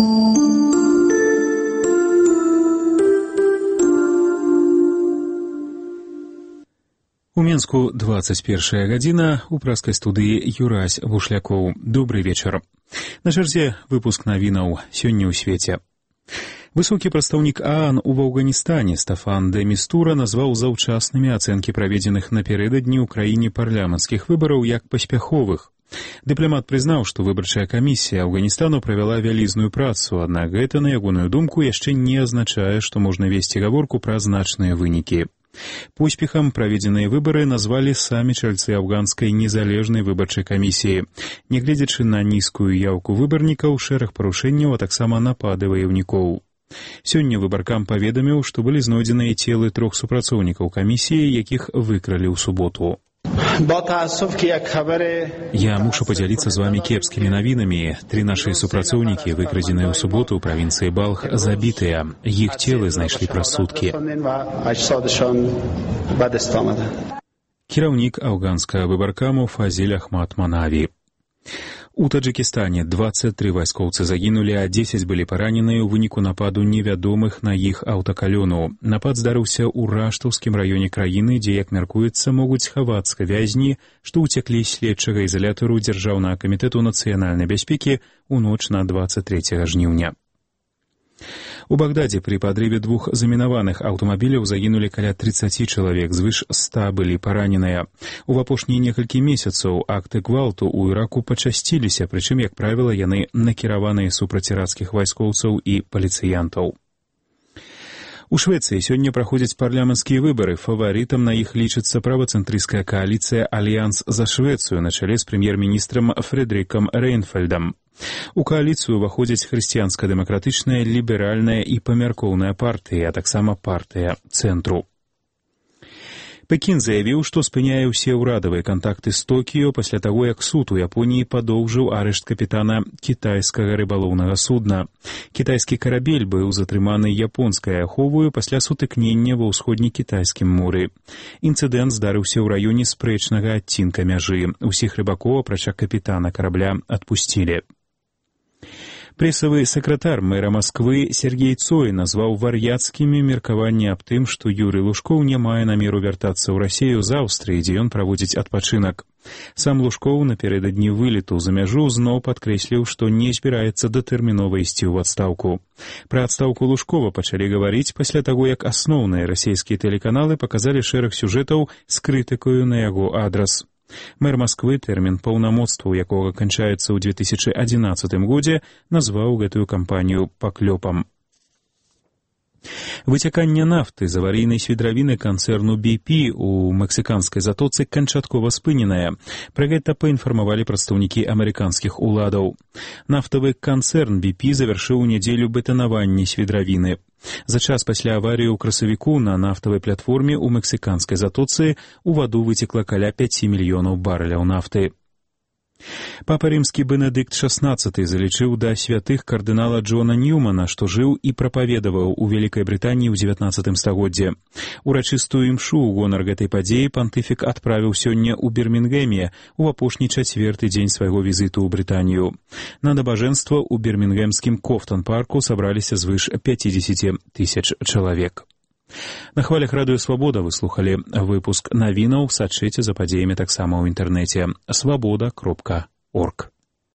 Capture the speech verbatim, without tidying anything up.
У Менску двадцать першая гадзіна, у праскай студыі Юрась Бушлякоў. Добрый вечар. На чарзе выпуск навінаў сёння ў свеце. Высокі прадстаўнік ААН у Афганістане Стафан де Містура назваў заўчаснымі ацэнкі праведзеных напярэдадні ў краіне парламенцкіх выбараў як паспяховых. Дыпламат прызнаў, што выбарчая камісія Афганістану правяла вялізную працу, аднак гэта, на ягоную думку, яшчэ не азначае, што можна весці гаворку пра значныя вынікі. Поспехам праведзеныя выбары назвалі самі чальцы афганскай незалежнай выбарчай камісіі. Нягледзячы на нізкую яўку выбарнікаў, шэраг парушэнняў, а таксама напады ваяўнікоў. Сёння выбаркам паведаміў, што былі знойдзеныя целы трох супрацоўнікаў камісіі, якіх выкралі ў суботу. Я мушу падзяліцца з вамі кепскімі навінамі. Тры нашы супрацоўнікі, выкрадзеныя ў суботу ў правінцыі Балх, забітыя. Іх целы знайшлі праз суткі. Кіраўнік афганскага выбаркаму Фазіль Ахмад Манаві. У Таджикистане двадцать тры вайскоўцы загінулі, а дзесяць былі параненыя ў выніку нападу невядомых на іх аўтакалёну. Напад здарыўся ў раштаўскім раёне краіны, дзе, як мяркуецца, могуць хавацца вязні, што ўцяклі з следчага ізалятару Дзяржаўнага камітэту нацыянальнай бяспекі ў ноч на двадцать трэцяга жніўня. У Багдадзе пры падрыве двух замінаваных аўтамабіляў загінулі каля трыццаці чалавек, звыш ста былі параненыя. У апошнія некалькі месяцаў акты гвалту ў Іраку пачасціліся, прычым, як правіла, яны накіраваныя супраць ірацкіх вайскоўцаў і паліцыянтаў. У Швецыі сёння праходзяць парламенцкія выбары. Фаварытам на іх лічыцца правацэнтрысцкая кааліцыя «Альянс за Швецыю» на чале з прэм'ер-міністрам Фрэдрыкам Рэйнфельдам. У кааліцыю ўваходзяць хрысціянска-дэмакратычная, ліберальная і памяркоўная партыі, а таксама партыя цэнтру. Пекін заявіў, што спыняе ўсе ўрадавыя кантакты з Токіё пасля таго, як суд у Японіі падоўжыў арышт капітана кітайскага рыбалоўнага судна. Кітайскі карабель быў затрыманы японскай аховаю пасля сутыкнення ва ўсходне-кітайскім моры. Інцыдэнт здарыўся ў раёне спрэчнага адцінка мяжы. Усіх рыбакоў, апрача капітана карабля, адпусцілі. Прэсавы сакратар мэра Масквы Сергей Цой назваў вар'яцкімі меркаванні аб тым, што Юрый Лужкоў не мае намеру вяртацца ў Расію з Аўстрыі, дзе ён праводзіць адпачынак. Сам Лужкоў напярэдадні вылету за мяжу зноў падкрэсліў, што не збіраецца датэрмінова ісці ў адстаўку. Пра адстаўку Лужкова пачалі гаварыць пасля таго, як асноўныя расійскія тэлеканалы паказалі шэраг сюжэтаў з крытыкаю на яго адрас. Мэр Масквы, тэрмін паўнамоцтваў якога канчаецца ў две тысячы адзінаццатым годзе, назваў гэтую кампанію паклёпам. Выцяканне нафты з аварыйнай свідравіны канцэрну би пі у мексіканскай затоцы канчаткова спыненае. Пра гэта паінфармавалі прадстаўнікі амерыканскіх уладаў. Нафтавы канцэрн би пі завяршыў у нядзелю бетанаванне свідравіны. За час пасля аварыі ў красавіку на нафтавай платформе ў мексіканскай затоцы у ваду выцекла каля пяці мільёнаў барэляў нафты. Папа рымскі Бенедыкт шаснаццаты залічыў да святых кардынала Джона Ньюмана, што жыў і прапаведаваў у Вялікай Брытаніі ў дзевятнаццатым стагоддзе. Урачыстую імшу ў гонар гэтай падзеі пантыфік адправіў сёння ў Бірмінгеме у апошні чацвёрты дзень свайго візіту ў Брытанію. На набажэнства ў бірмінгемскім Кофтон-парку сабраліся звыш пяцідзесяці тысяч чалавек. На хвалях радыё «Свабода» вы слухалі выпуск навінаў, сачыце за падзеямі таксама ў інтэрнэце свабода кропка орг.